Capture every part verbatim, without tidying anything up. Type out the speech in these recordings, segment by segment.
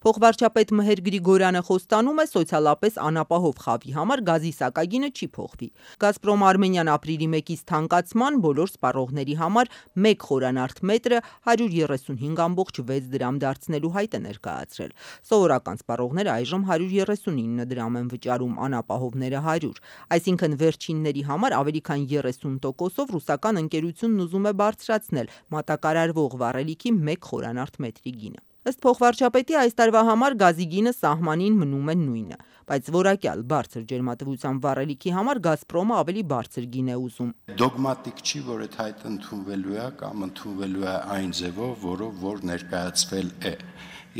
Փոխվարչապետ Մհեր Գրիգորյանը խոստանում է սոցիալապես անապահով խավի համար գազի սակագինը չի փոխվի։ Գազպրոմ Արմենիան ապրիլի մեկից թանկացման բոլոր սպառողների համար մեկ խորանարդ մետրը հարյուր երեսունհինգ կոմma վեց դրամ դարձնելու հայտ է ներկայացրել։ Սովորական սպառողները այժմ հարյուր երեսունինը դրամ են վճարում, անապահովները հարյուր, այսինքն վերջինների համար ավելի քան երեսուն տոկոսով ռուսական ընկերությունն ուզում է բարձրացնել մատակարարվող վառելիքի մեկ խորանարդ մետրի գինը։ Ըստ փոխվարչապետի այս տարվա համար գազի գինը սահմանին մնում է նույնը, բայց որակյալ բարձր ջերմատվությամբ վառելիքի համար Գազպրոմը ավելի բարձր գին է ուզում։ Դոգմատիկ չի, որ այդ հայտը ընդունվելու է կամ ընդունվելու է այն ձևով, որով որ ներկայացվել է։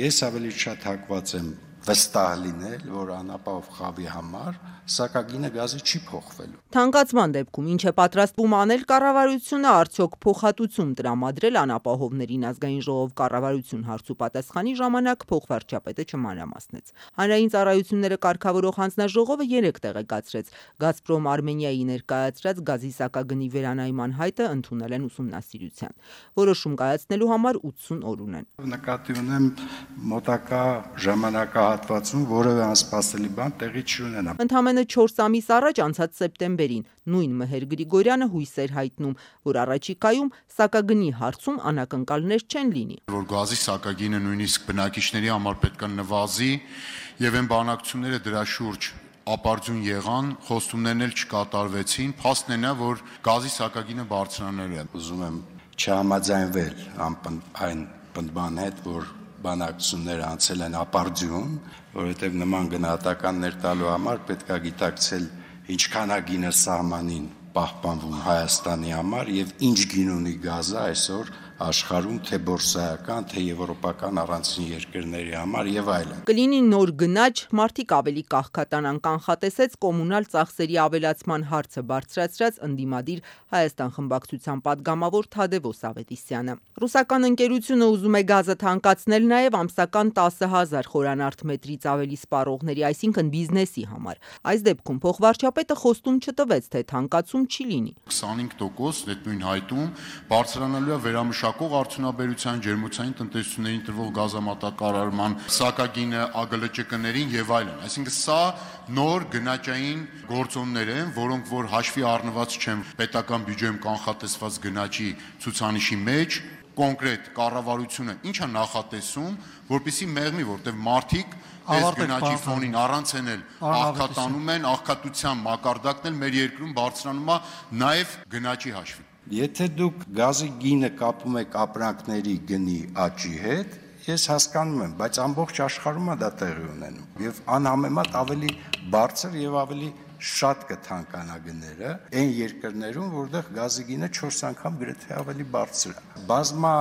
Ես ավելի շատ հակված եմ վստահ լինել, որ անապահով խավի համար սակագինը գազի չի փոխվելու։ Թանկացման դեպքում ինչ է պատրաստվում անել կառավարությունը, արդյոք փոխհատուցում տրամադրել անապահովներին, ազգային ժողով կառավարություն հարցու պատասխանի ժամանակ փոխվարչապետը չմանրամասնեց։ Հանրային ծառայությունները կարգավորող հանձնաժողովը երեկ տեղեկացրեց, Գազպրոմ Արմենիայի ներկայացրած գազի սակագնի վերանայման հայտը ընդունել են ուսումնասիրության։ Որոշում կայացնելու համար ութսուն օր ունեն։ Նկատի ունեմ մոտակա ժամանակահատվածում որևէ անսպասելի բան տեղի չունենա։ Ընդամենը չորս ամիս առաջ, անցած սեպտեմբերին, նույն Մհեր Գրիգորյանը հույս էր հայտնում, որ առաջիկայում սակագնի հարցում անակնկալներ չեն լինի։ Որ գազի սակագինը նույնիսկ բնակիչների համար պետք է նվազի եւ այն բանակցությունները դրա շուրջ ապարդյուն եղան, խոստումներն էլ չկատարվեցին, փաստն է նա, որ գազի սակագինը բարձրանալու է։ Ուզում եմ չհամաձայնվել այն պնդման հետ, որ բանակցությունները անցել են ապարդյուն, որովհետև նման գնահատականներ տալու համար պետք է գիտակցել ինչքան է գինը սահմանին պահպանվում Հայաստանի համար եւ ինչ գին ունի գազը այսօր աշխարհում, թե բորսայական, թե եվրոպական առանցին երկրների համար եւ այլն։ Կլինի նոր գնաճ, մարդիկ ավելի կաղքատանան, կանխատեսեց կոմունալ ծախսերի ավելացման հարցը բարձրացրած ընդդիմադիր Հայաստան խմբակցության падգամավոր Թադևոս Ավետիսյանը։ Ռուսական ընկերությունը ուզում է գազը թանկացնել նաեւ ամսական տասը հազար խորանարդ մետրից ավելի սպառողների, այսինքն բիզնեսի համար։ Այս դեպքում փոխվարչապետը խոստում չտվեց, թե թանկացում չի լինի։ քսանհինգ տոկոս այդ նույն հայտում բարձրանալու է վերամշակող արդյունաբերության, ջերմոցային տնտեսություններին տրվող գազամատակարարման սակագինը, ԱԳԼՃԿ-ներին եւ այլն։ Այսինքն սա նոր գնաճային գործոններ են, որոնք որ հաշվի առնված չեն պետական բյուջեում կանխատեսված գնաճի ցուցանիշի մեջ, կոնկրետ կառավարությունը ինչ է նախատեսում, որպեսզի մեղմի, որտեղ մարդիկ այս գնաճի ֆոնին առանց էնել աղքատանում են, աղքատության մակարդակն էլ մեր երկրում բարձրանում է նաև գնաճի հաշվին։ Եթե դուք գազի գինը կապում եք ապրանքների գնի աճի հետ, ես հասկանում եմ, բայց ամբողջ աշխարհում է դա տեղի ունենում եւ անհամեմատ ավելի բարձր եւ ավելի շատ կթանկանա գները այն երկրներում, որտեղ գազի գինը չորս անգամ գրեթե ավելի բարձր է։ Բազմա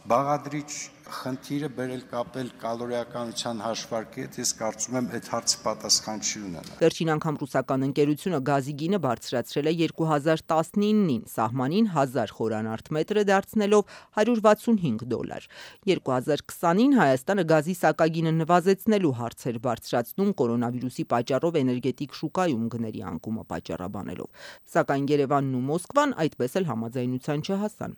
բաղադրիչ խնդիրը բերել կապել կալորիականության հաշվարկի հետ, ես կարծում եմ այդ հարցի պատասխան չի ունենա։ Վերջին անգամ ռուսական ընկերությունը գազի գինը բարձրացրել է երկու հազար տասնինին, սահմանին հազար խորանարդ մետրը դարձնելով հարյուր վաթսունհինգ դոլար։ երկու հազար քսանին Հայաստանը գազի սակագինը նվազեցնելու հարց էր բարձրացնում կորոնավիրուսի պատճառով էներգետիկ շուկայում գների անկումը պատճառաբանելով։ Սակայն Երևանն ու Մոսկվան այդպես էլ համաձայնության չհասան։